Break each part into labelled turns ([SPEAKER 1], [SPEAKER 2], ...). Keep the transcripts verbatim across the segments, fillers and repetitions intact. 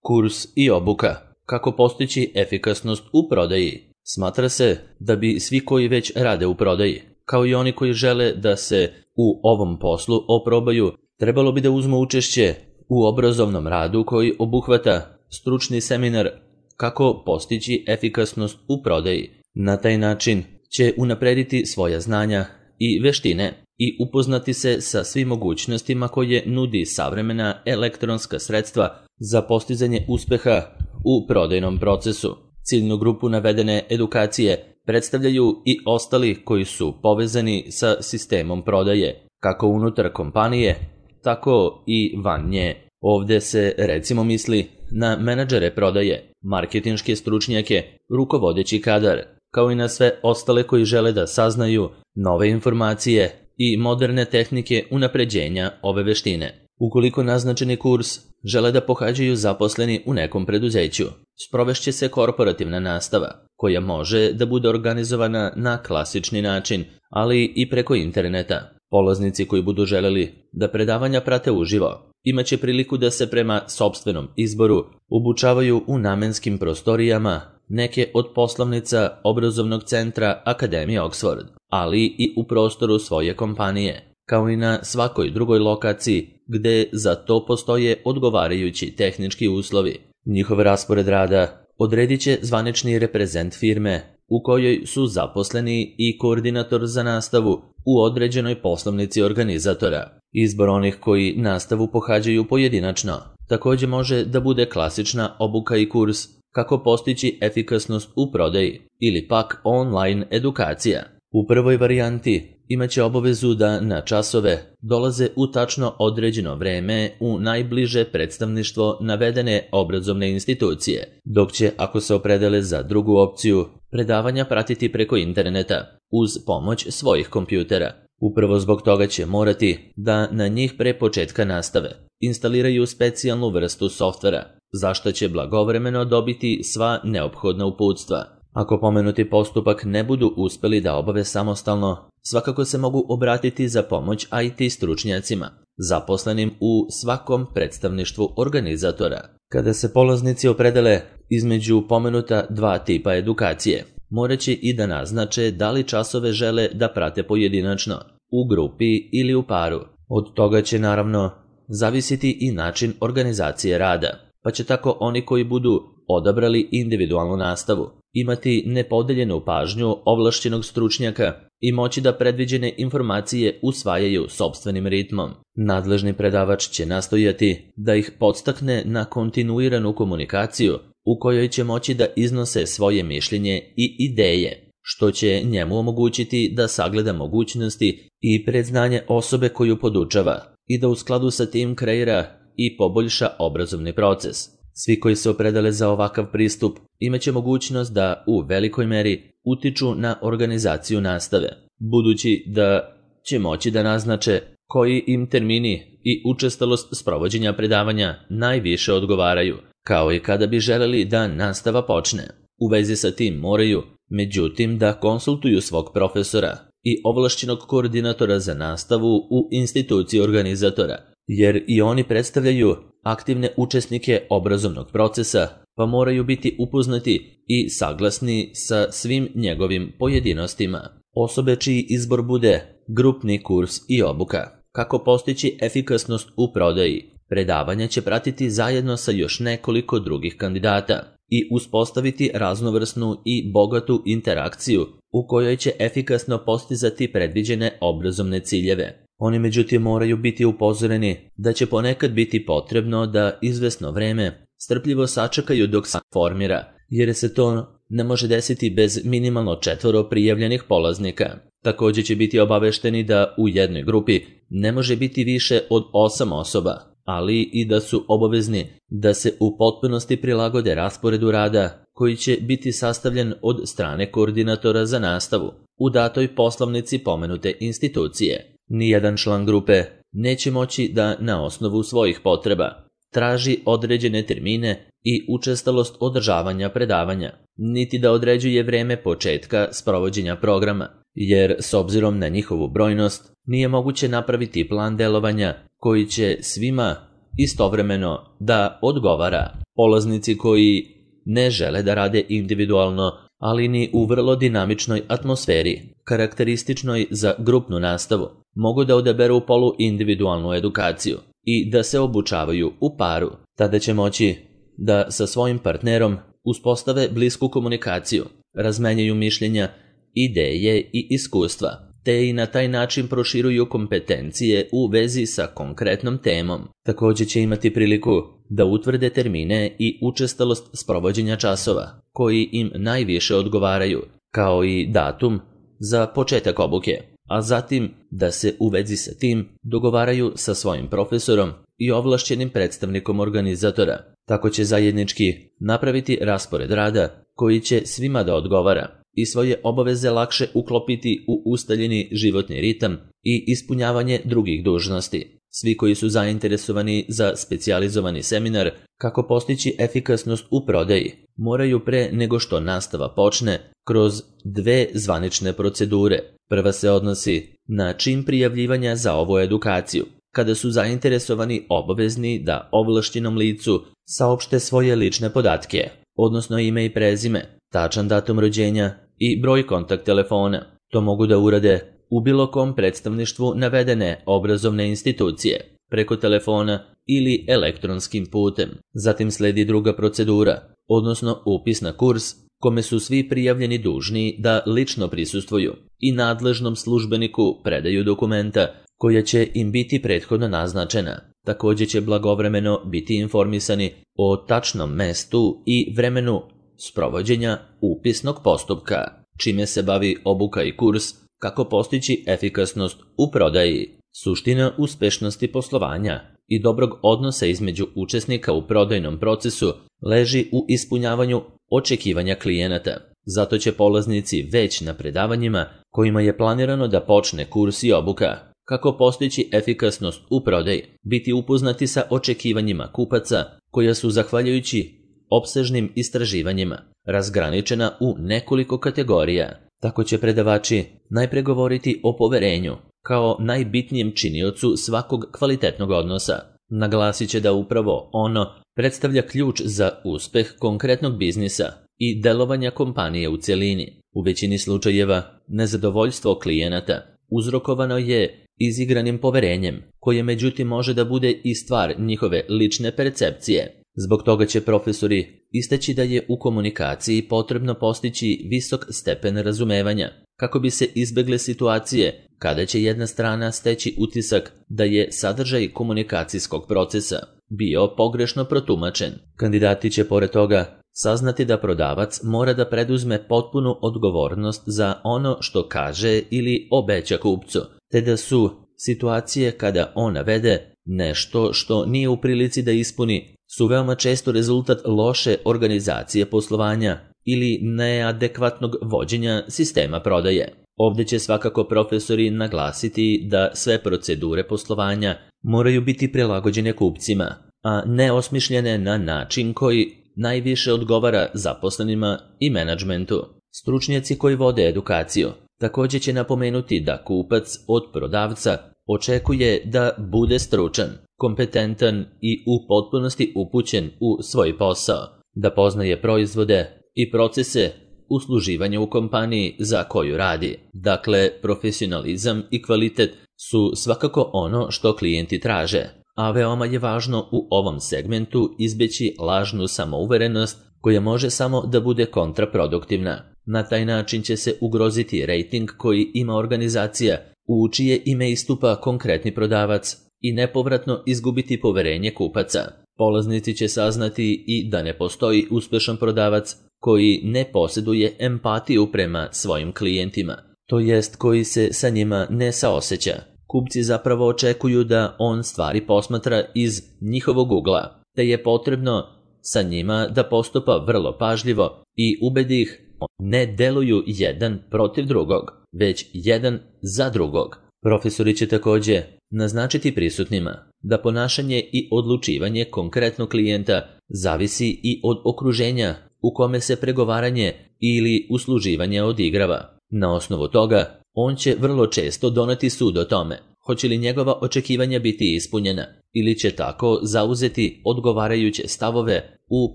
[SPEAKER 1] Kurs i obuka. Kako postići efikasnost u prodaji? Smatra se da bi svi koji već rade u prodaji, kao i oni koji žele da se u ovom poslu oprobaju, trebalo bi da uzmu učešće u obrazovnom radu koji obuhvata stručni seminar kako postići efikasnost u prodaji. Na taj način će unaprediti svoja znanja i veštine i upoznati se sa svim mogućnostima koje nudi savremena elektronska sredstva za postizanje uspeha u prodajnom procesu. Ciljnu grupu navedene edukacije predstavljaju i ostali koji su povezani sa sistemom prodaje, kako unutar kompanije, tako i van nje. Ovde se recimo misli na menadžere prodaje, marketinške stručnjake, rukovodeći kadar, kao i na sve ostale koji žele da saznaju nove informacije i moderne tehnike unapređenja ove veštine. Ukoliko naznačeni kurs žele da pohađaju zaposleni u nekom preduzeću, sprovešće se korporativna nastava, koja može da bude organizovana na klasični način, ali i preko interneta. Polaznici koji budu želeli da predavanja prate uživo, imaće priliku da se prema sopstvenom izboru obučavaju u namenskim prostorijama neke od poslovnica obrazovnog centra Akademije Oxford, ali i u prostoru svoje kompanije, kao i na svakoj drugoj lokaciji gde za to postoje odgovarajući tehnički uslovi. Njihov raspored rada odredit će zvanični reprezent firme u kojoj su zaposleni i koordinator za nastavu u određenoj poslovnici organizatora. Izbor onih koji nastavu pohađaju pojedinačno takođe može da bude klasična obuka i kurs kako postići efikasnost u prodaji ili pak online edukacija. U prvoj varijanti imaće obavezu da na časove dolaze u tačno određeno vreme u najbliže predstavništvo navedene obrazovne institucije, dok će, ako se opredele za drugu opciju, predavanja pratiti preko interneta uz pomoć svojih kompjutera. Upravo zbog toga će morati da na njih pre početka nastave instaliraju specijalnu vrstu softvera, za što će blagovremeno dobiti sva neophodna uputstva. Ako pomenuti postupak ne budu uspeli da obave samostalno, svakako se mogu obratiti za pomoć I T stručnjacima, zaposlenim u svakom predstavništvu organizatora. Kada se polaznici opredele između pomenuta dva tipa edukacije, morat će i da naznače da li časove žele da prate pojedinačno, u grupi ili u paru. Od toga će naravno zavisiti i način organizacije rada, pa će tako oni koji budu odabrali individualnu nastavu imati nepodeljenu pažnju ovlašćenog stručnjaka i moći da predviđene informacije usvajaju sopstvenim ritmom. Nadležni predavač će nastojati da ih podstakne na kontinuiranu komunikaciju u kojoj će moći da iznose svoje mišljenje i ideje, što će njemu omogućiti da sagleda mogućnosti i predznanje osobe koju podučava i da u skladu sa tim kreira i poboljša obrazovni proces. Svi koji se opredele za ovakav pristup imaće mogućnost da u velikoj meri utiču na organizaciju nastave, budući da će moći da naznače koji im termini i učestalost sprovođenja predavanja najviše odgovaraju, kao i kada bi želeli da nastava počne. U vezi sa tim moraju, međutim, da konsultuju svog profesora i ovlašćenog koordinatora za nastavu u instituciji organizatora, jer i oni predstavljaju aktivne učesnike obrazovnog procesa, pa moraju biti upoznati i saglasni sa svim njegovim pojedinostima. Osobe čiji izbor bude grupni kurs i obuka. Kako postići efikasnost u prodaji? Predavanja će pratiti zajedno sa još nekoliko drugih kandidata i uspostaviti raznovrsnu i bogatu interakciju u kojoj će efikasno postizati predviđene obrazovne ciljeve. Oni međutim moraju biti upozoreni da će ponekad biti potrebno da izvesno vreme strpljivo sačekaju dok se formira, jer se to ne može desiti bez minimalno četvoro prijavljenih polaznika. Također će biti obavešteni da u jednoj grupi ne može biti više od osam osoba, ali i da su obavezni da se u potpunosti prilagode rasporedu rada koji će biti sastavljen od strane koordinatora za nastavu u datoj poslovnici pomenute institucije. Nijedan član grupe neće moći da na osnovu svojih potreba traži određene termine i učestalost održavanja predavanja, niti da određuje vreme početka sprovođenja programa, jer s obzirom na njihovu brojnost nije moguće napraviti plan delovanja koji će svima istovremeno da odgovara. Polaznici koji ne žele da rade individualno, ali ni u vrlo dinamičnoj atmosferi, karakterističnoj za grupnu nastavu, mogu da odaberu poluindividualnu edukaciju i da se obučavaju u paru. Tada će moći da sa svojim partnerom uspostave blisku komunikaciju, razmenjaju mišljenja, ideje i iskustva, te i na taj način proširuju kompetencije u vezi sa konkretnom temom. Također će imati priliku da utvrde termine i učestalost sprovođenja časova, koji im najviše odgovaraju, kao i datum za početak obuke, a zatim da se u vezi sa tim dogovaraju sa svojim profesorom i ovlašćenim predstavnikom organizatora. Tako će zajednički napraviti raspored rada koji će svima da odgovara i svoje obaveze lakše uklopiti u ustaljeni životni ritam i ispunjavanje drugih dužnosti. Svi koji su zainteresovani za specijalizovani seminar kako postići efikasnost u prodaji, moraju pre nego što nastava počne kroz dve zvanične procedure. Prva se odnosi na čin prijavljivanja za ovu edukaciju, kada su zainteresovani obavezni da ovlašćenom licu saopšte svoje lične podatke, odnosno ime i prezime, tačan datum rođenja i broj kontakt telefona. To mogu da urade u bilo kom predstavništvu navedene obrazovne institucije, preko telefona ili elektronskim putem. Zatim sledi druga procedura, odnosno upis na kurs, kome su svi prijavljeni dužni da lično prisustvuju i nadležnom službeniku predaju dokumenta koja će im biti prethodno naznačena. Također će blagovremeno biti informisani o tačnom mestu i vremenu sprovođenja upisnog postupka, čime se bavi obuka i kurs kako postići efikasnost u prodaji. Suština uspešnosti poslovanja i dobrog odnosa između učesnika u prodajnom procesu leži u ispunjavanju očekivanja klijenata. Zato će polaznici već na predavanjima kojima je planirano da počne kurs i obuka kako postići efikasnost u prodaji, biti upoznati sa očekivanjima kupaca koja su, zahvaljujući opsežnim istraživanjima, razgraničena u nekoliko kategorija. Tako će predavači najpre govoriti o poverenju kao najbitnijem činiocu svakog kvalitetnog odnosa. Naglasit će da upravo ono predstavlja ključ za uspeh konkretnog biznisa i delovanja kompanije u cjelini. U većini slučajeva nezadovoljstvo klijenata uzrokovano je izigranim poverenjem, koje međutim može da bude i stvar njihove lične percepcije. Zbog toga će profesori istaći da je u komunikaciji potrebno postići visok stepen razumevanja, kako bi se izbegle situacije kada će jedna strana steći utisak da je sadržaj komunikacijskog procesa bio pogrešno protumačen. Kandidati će pored toga saznati da prodavac mora da preduzme potpunu odgovornost za ono što kaže ili obeća kupcu, te da su situacije kada on navede nešto što nije u prilici da ispuni su veoma često rezultat loše organizacije poslovanja ili neadekvatnog vođenja sistema prodaje. Ovdje će svakako profesori naglasiti da sve procedure poslovanja moraju biti prilagođene kupcima, a ne osmišljene na način koji najviše odgovara zaposlenima i menadžmentu. Stručnjaci koji vode edukaciju također će napomenuti da kupac od prodavca očekuje da bude stručan, kompetentan i u potpunosti upućen u svoj posao, da poznaje proizvode i procese usluživanja u kompaniji za koju radi. Dakle, profesionalizam i kvalitet su svakako ono što klijenti traže, a veoma je važno u ovom segmentu izbjeći lažnu samouverenost koja može samo da bude kontraproduktivna. Na taj način će se ugroziti rejting koji ima organizacija u čije ime istupa konkretni prodavac i nepovratno izgubiti poverenje kupaca. Polaznici će saznati i da ne postoji uspešan prodavac koji ne posjeduje empatiju prema svojim klijentima, to jest koji se sa njima ne saoseća. Kupci zapravo očekuju da on stvari posmatra iz njihovog ugla, te je potrebno sa njima da postupa vrlo pažljivo i ubedi ih ne deluju jedan protiv drugog, već jedan za drugog. Profesori će također naznačiti prisutnima da ponašanje i odlučivanje konkretnog klijenta zavisi i od okruženja u kome se pregovaranje ili usluživanje odigrava. Na osnovu toga, on će vrlo često doneti sud o tome hoće li njegova očekivanja biti ispunjena ili će tako zauzeti odgovarajuće stavove u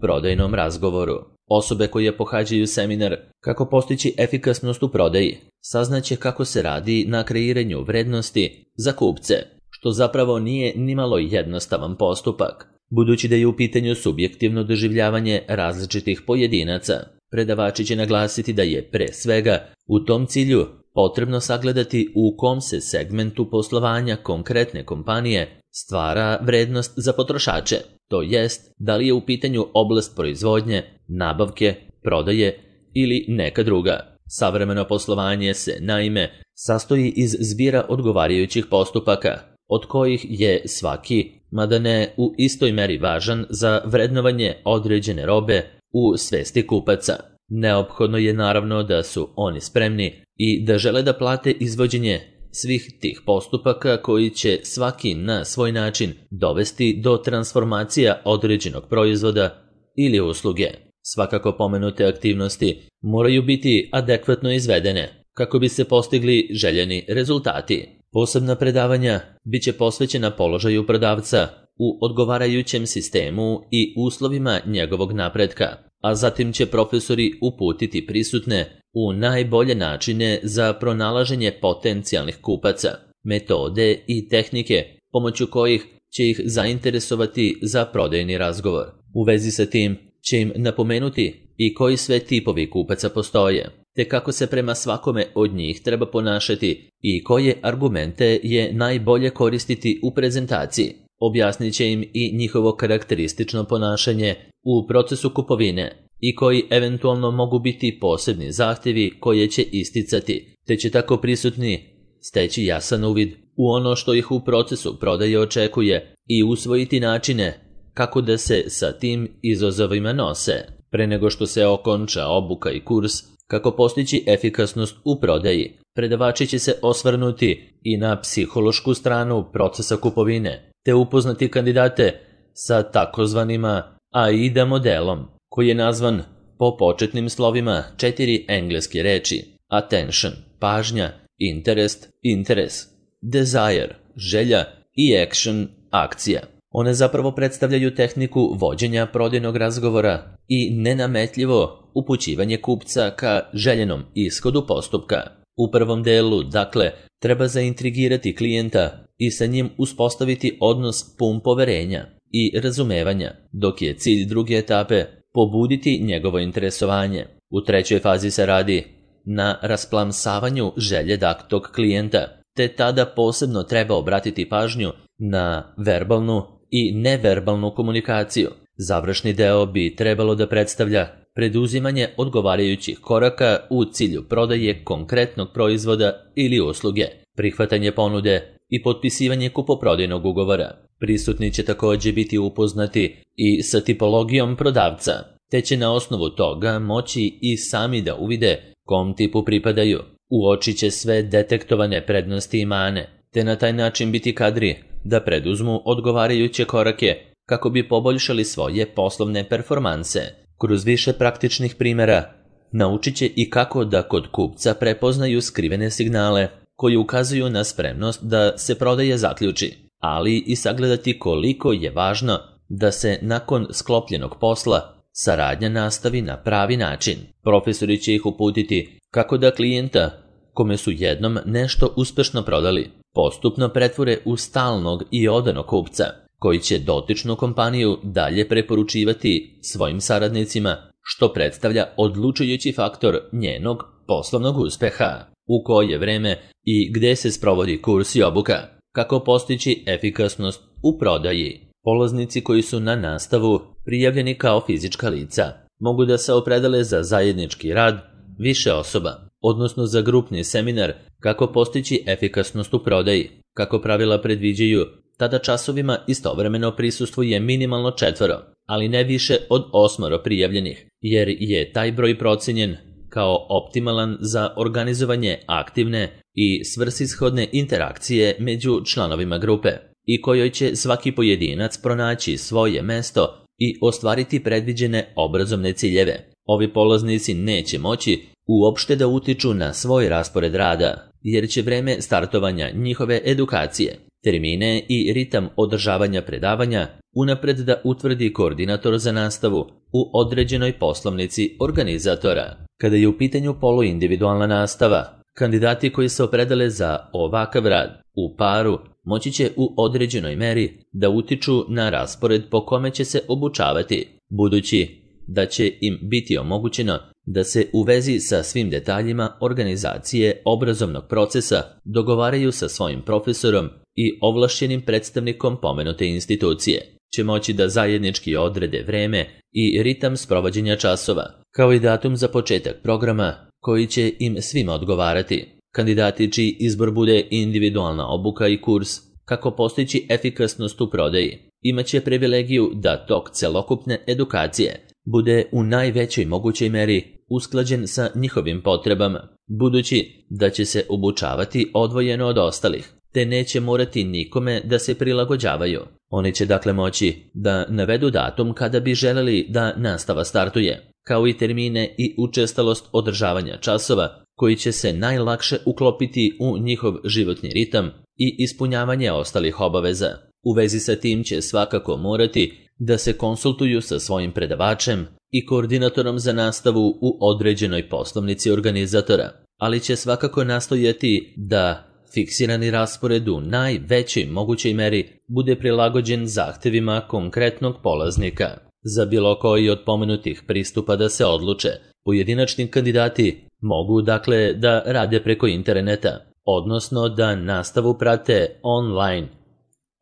[SPEAKER 1] prodajnom razgovoru. Osobe koje pohađaju seminar Kako postići efikasnost u prodaji saznaće kako se radi na kreiranju vrednosti za kupce, što zapravo nije nimalo jednostavan postupak, budući da je u pitanju subjektivno doživljavanje različitih pojedinaca. Predavači će naglasiti da je pre svega u tom cilju potrebno sagledati u kom se segmentu poslovanja konkretne kompanije stvara vrednost za potrošače, to jest da li je u pitanju oblast proizvodnje, nabavke, prodaje ili neka druga. Savremeno poslovanje se, naime, sastoji iz zbira odgovarajućih postupaka, od kojih je svaki, mada ne u istoj meri važan za vrednovanje određene robe u svesti kupaca. Neophodno je naravno da su oni spremni i da žele da plate izvođenje svih tih postupaka koji će svaki na svoj način dovesti do transformacija određenog proizvoda ili usluge. Svakako pomenute aktivnosti moraju biti adekvatno izvedene kako bi se postigli željeni rezultati. Posebna predavanja bit će posvećena položaju prodavca u odgovarajućem sistemu i uslovima njegovog napretka, a zatim će profesori uputiti prisutne u najbolje načine za pronalaženje potencijalnih kupaca, metode i tehnike pomoću kojih će ih zainteresovati za prodajni razgovor. U vezi sa tim će im napomenuti i koji sve tipovi kupaca postoje, te kako se prema svakome od njih treba ponašati i koje argumente je najbolje koristiti u prezentaciji. Objasnit će im i njihovo karakteristično ponašanje u procesu kupovine i koji eventualno mogu biti posebni zahtjevi koje će isticati, te će tako prisutni steći jasan uvid u ono što ih u procesu prodaje očekuje i usvojiti načine kako da se sa tim izazovima nose. Pre nego što se okonča obuka i kurs Kako postići efikasnost u prodaji, predavači će se osvrnuti i na psihološku stranu procesa kupovine, te upoznati kandidate sa takozvanima A I D A modelom, koji je nazvan po početnim slovima četiri engleske reči: attention, pažnja, interest, interes, desire, želja i action, akcija. One zapravo predstavljaju tehniku vođenja prodajnog razgovora i nenametljivo upućivanje kupca ka željenom ishodu postupka. U prvom delu, dakle, treba zaintrigirati klijenta i sa njim uspostaviti odnos pun poverenja i razumevanja, dok je cilj druge etape pobuditi njegovo interesovanje. U trećoj fazi se radi na rasplamsavanju želje daktog klijenta, te tada posebno treba obratiti pažnju na verbalnu i neverbalnu komunikaciju. Završni deo bi trebalo da predstavlja preduzimanje odgovarajućih koraka u cilju prodaje konkretnog proizvoda ili usluge, prihvatanje ponude i potpisivanje kupoprodajnog ugovora. Prisutni će također biti upoznati i sa tipologijom prodavca, te će na osnovu toga moći i sami da uvide kom tipu pripadaju. Uočit će sve detektovane prednosti i mane, te na taj način biti kadri da preduzmu odgovarajuće korake kako bi poboljšali svoje poslovne performanse. Kroz više praktičnih primjera naučit će i kako da kod kupca prepoznaju skrivene signale koji ukazuju na spremnost da se prodaja zaključi, ali i sagledati koliko je važno da se nakon sklopljenog posla saradnja nastavi na pravi način. Profesori će ih uputiti kako da klijenta, kome su jednom nešto uspešno prodali, postupno pretvore u stalnog i odanog kupca, koji će dotičnu kompaniju dalje preporučivati svojim saradnicima, što predstavlja odlučujući faktor njenog poslovnog uspeha. U koje vreme i gde se sprovodi kurs i obuka, kako postići efikasnost u prodaji. Polaznici koji su na nastavu prijavljeni kao fizička lica mogu da se opredele za zajednički rad više osoba, odnosno za grupni seminar kako postići efikasnost u prodaji. Kako pravila predviđaju, tada časovima istovremeno prisustvuje minimalno četvoro, ali ne više od osmoro prijavljenih, jer je taj broj procenjen kao optimalan za organizovanje aktivne i svrsishodne interakcije među članovima grupe, i kojoj će svaki pojedinac pronaći svoje mesto i ostvariti predviđene obrazovne ciljeve. Ovi polaznici neće moći uopšte da utiču na svoj raspored rada, jer će vreme startovanja njihove edukacije, termine i ritam održavanja predavanja unapred da utvrdi koordinator za nastavu u određenoj poslovnici organizatora. Kada je u pitanju poluindividualna nastava, kandidati koji se opredele za ovakav rad u paru moći će u određenoj meri da utiču na raspored po kome će se obučavati, budući da će im biti omogućeno da se u vezi sa svim detaljima organizacije obrazovnog procesa dogovaraju sa svojim profesorom i ovlašćenim predstavnikom pomenute institucije, će moći da zajednički odrede vreme i ritam sprovođenja časova, kao i datum za početak programa koji će im svima odgovarati. Kandidati čiji izbor bude individualna obuka i kurs kako postići efikasnost u prodaji imaće privilegiju da tok celokupne edukacije bude u najvećoj mogućoj meri usklađen sa njihovim potrebama, budući da će se obučavati odvojeno od ostalih, te neće morati nikome da se prilagođavaju. Oni će dakle moći da navedu datum kada bi želeli da nastava startuje, kao i termine i učestalost održavanja časova koji će se najlakše uklopiti u njihov životni ritam i ispunjavanje ostalih obaveza. U vezi sa tim će svakako morati da se konsultuju sa svojim predavačem i koordinatorom za nastavu u određenoj poslovnici organizatora, ali će svakako nastojati da fiksirani raspored u najvećoj mogućoj meri bude prilagođen zahtevima konkretnog polaznika. Za bilo koji od pomenutih pristupa da se odluče, pojedinačni kandidati mogu dakle da rade preko interneta, odnosno da nastavu prate online,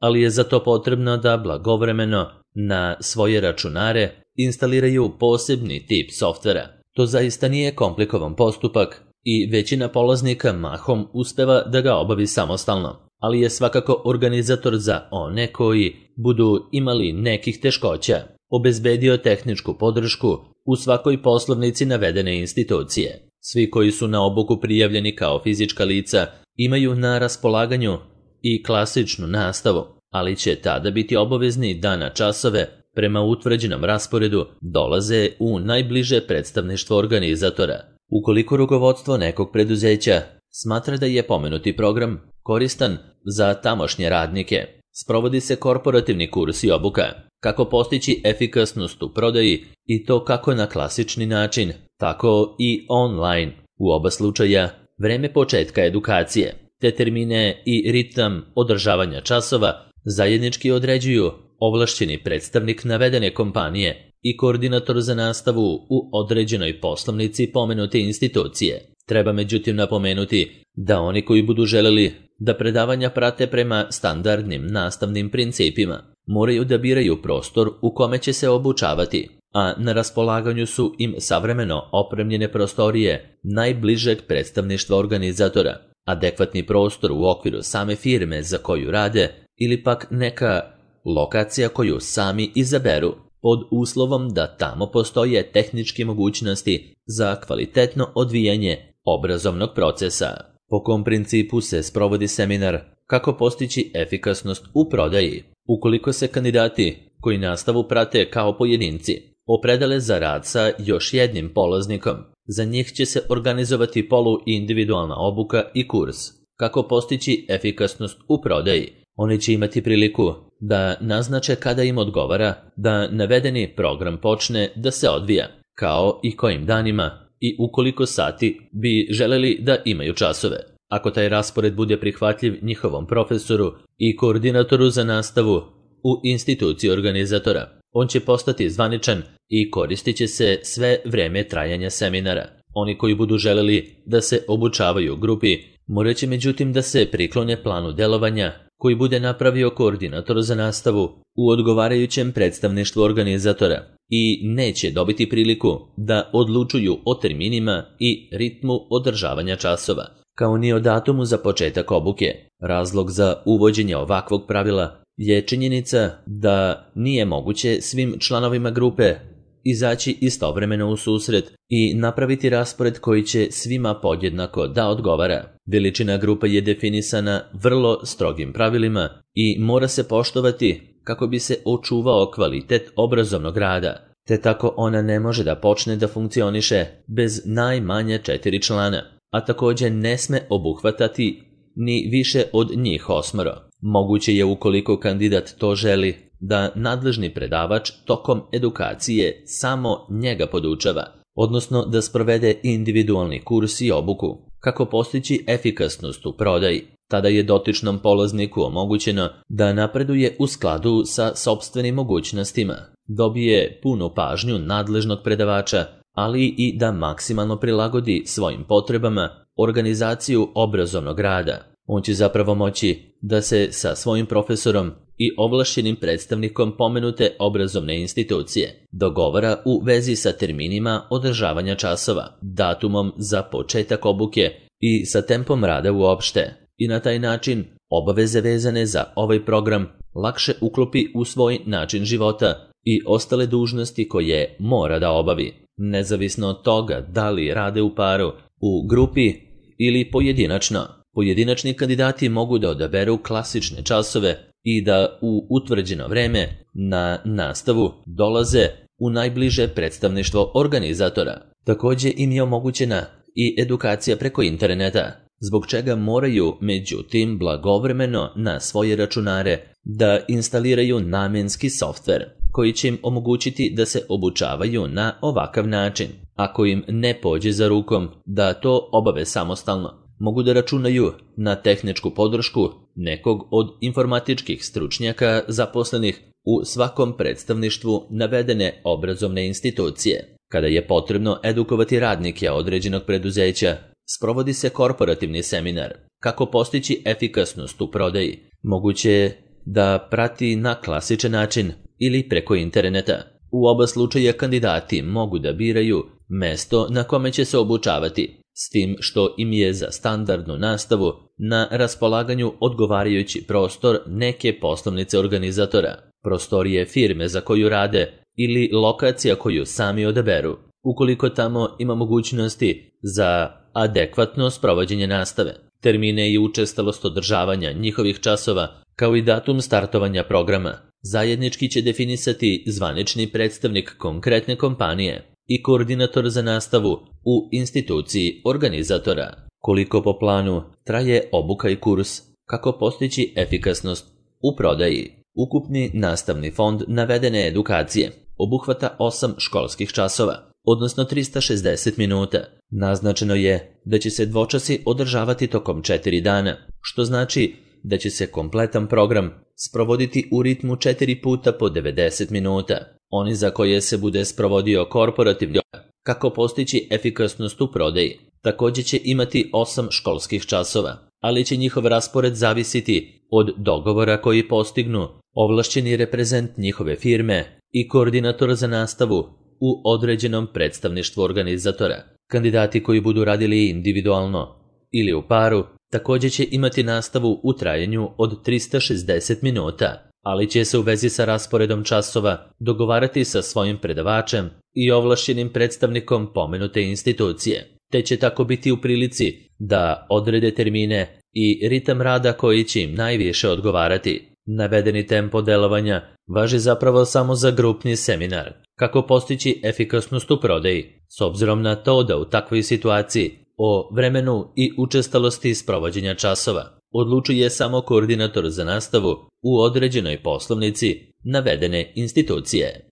[SPEAKER 1] ali je za to potrebno da blagovremeno na svoje računare instaliraju posebni tip softvera. To zaista nije komplikovan postupak i većina polaznika mahom uspeva da ga obavi samostalno, ali je svakako organizator za one koji budu imali nekih teškoća obezbedio tehničku podršku u svakoj poslovnici navedene institucije. Svi koji su na obuku prijavljeni kao fizička lica imaju na raspolaganju i klasičnu nastavu, ali će tada biti obavezni da na časove prema utvrđenom rasporedu dolaze u najbliže predstavništvo organizatora. Ukoliko rukovodstvo nekog preduzeća smatra da je pomenuti program koristan za tamošnje radnike, sprovodi se korporativni kurs i obuka, kako postići efikasnost u prodaji i to kako na klasični način, tako i online. U oba slučaja, vreme početka edukacije, te termine i ritam održavanja časova zajednički određuju ovlašćeni predstavnik navedene kompanije i koordinator za nastavu u određenoj poslovnici pomenute institucije. Treba međutim napomenuti da oni koji budu želeli da predavanja prate prema standardnim nastavnim principima, moraju da biraju prostor u kome će se obučavati, a na raspolaganju su im savremeno opremljene prostorije najbližeg predstavništva organizatora, adekvatni prostor u okviru same firme za koju rade ili pak neka lokacija koju sami izaberu, pod uslovom da tamo postoje tehničke mogućnosti za kvalitetno odvijanje obrazovnog procesa. Po kom principu se sprovodi seminar kako postići efikasnost u prodaji? Ukoliko se kandidati koji nastavu prate kao pojedinci opredele za rad sa još jednim polaznikom, za njih će se organizovati poluindividualna obuka i kurs kako postići efikasnost u prodaji. Oni će imati priliku da naznače kada im odgovara da navedeni program počne da se odvija, kao i kojim danima i u koliko sati bi želeli da imaju časove. Ako taj raspored bude prihvatljiv njihovom profesoru i koordinatoru za nastavu u instituciji organizatora, on će postati zvaničan i koristit će se sve vreme trajanja seminara. Oni koji budu želeli da se obučavaju u grupi, morat će međutim da se priklone planu delovanja koji bude napravio koordinator za nastavu u odgovarajućem predstavništvu organizatora i neće dobiti priliku da odlučuju o terminima i ritmu održavanja časova, kao ni o datumu za početak obuke. Razlog za uvođenje ovakvog pravila je činjenica da nije moguće svim članovima grupe izaći istovremeno u susret i napraviti raspored koji će svima podjednako da odgovara. Veličina grupe je definisana vrlo strogim pravilima i mora se poštovati kako bi se očuvao kvalitet obrazovnog rada, te tako ona ne može da počne da funkcioniše bez najmanje četiri člana, a takođe ne sme obuhvatati ni više od njih osmoro. Moguće je, ukoliko kandidat to želi, da nadležni predavač tokom edukacije samo njega podučava, odnosno da sprovede individualni kurs i obuku. Kako postići efikasnost u prodaji? Tada je dotičnom polazniku omogućeno da napreduje u skladu sa sopstvenim mogućnostima, dobije punu pažnju nadležnog predavača, ali i da maksimalno prilagodi svojim potrebama organizaciju obrazovnog rada. On će zapravo moći da se sa svojim profesorom i ovlašćenim predstavnikom pomenute obrazovne institucije dogovara u vezi sa terminima održavanja časova, datumom za početak obuke i sa tempom rada uopšte, i na taj način obaveze vezane za ovaj program lakše uklopi u svoj način života i ostale dužnosti koje mora da obavi, nezavisno od toga da li rade u paru, u grupi ili pojedinačno. Pojedinačni kandidati mogu da odaberu klasične časove i da u utvrđeno vreme na nastavu dolaze u najbliže predstavništvo organizatora. Takođe im je omogućena i edukacija preko interneta, zbog čega moraju, međutim, blagovremeno na svoje računare da instaliraju namenski softver koji će im omogućiti da se obučavaju na ovakav način. Ako im ne pođe za rukom da to obave samostalno, mogu da računaju na tehničku podršku nekog od informatičkih stručnjaka zaposlenih u svakom predstavništvu navedene obrazovne institucije. Kada je potrebno edukovati radnike određenog preduzeća, sprovodi se korporativni seminar. Kako postići efikasnost u prodaji? Moguće je da prati na klasičan način ili preko interneta. U oba slučaja kandidati mogu da biraju mesto na kome će se obučavati, s tim što im je za standardnu nastavu na raspolaganju odgovarajući prostor neke poslovnice organizatora, prostorije firme za koju rade ili lokacija koju sami odaberu, ukoliko tamo ima mogućnosti za adekvatno sprovođenje nastave, termine i učestalost održavanja njihovih časova, kao i datum startovanja programa. Zajednički će definisati zvanični predstavnik konkretne kompanije i koordinator za nastavu u instituciji organizatora. Koliko po planu traje obuka i kurs? Kako postići efikasnost u prodaji? Ukupni nastavni fond navedene edukacije obuhvata osam školskih časova, odnosno trista šezdeset minuta. Naznačeno je da će se dvočasi održavati tokom četiri dana, što znači da će se kompletan program sprovoditi u ritmu četiri puta po devedeset minuta. Oni za koje se bude sprovodio korporativni. Kako postići efikasnost u prodaji? Takođe će imati osam školskih časova, ali će njihov raspored zavisiti od dogovora koji postignu ovlašćeni reprezent njihove firme i koordinator za nastavu u određenom predstavništvu organizatora. Kandidati koji budu radili individualno ili u paru takođe će imati nastavu u trajanju od trista šezdeset minuta, ali će se u vezi sa rasporedom časova dogovarati sa svojim predavačem i ovlašćenim predstavnikom pomenute institucije, te će tako biti u prilici da odrede termine i ritam rada koji će im najviše odgovarati. Navedeni tempo delovanja važi zapravo samo za grupni seminar. Kako postići efikasnost u prodaji? S obzirom na to da u takvoj situaciji o vremenu i učestalosti sprovođenja časova odlučuje samo koordinator za nastavu u određenoj poslovnici navedene institucije.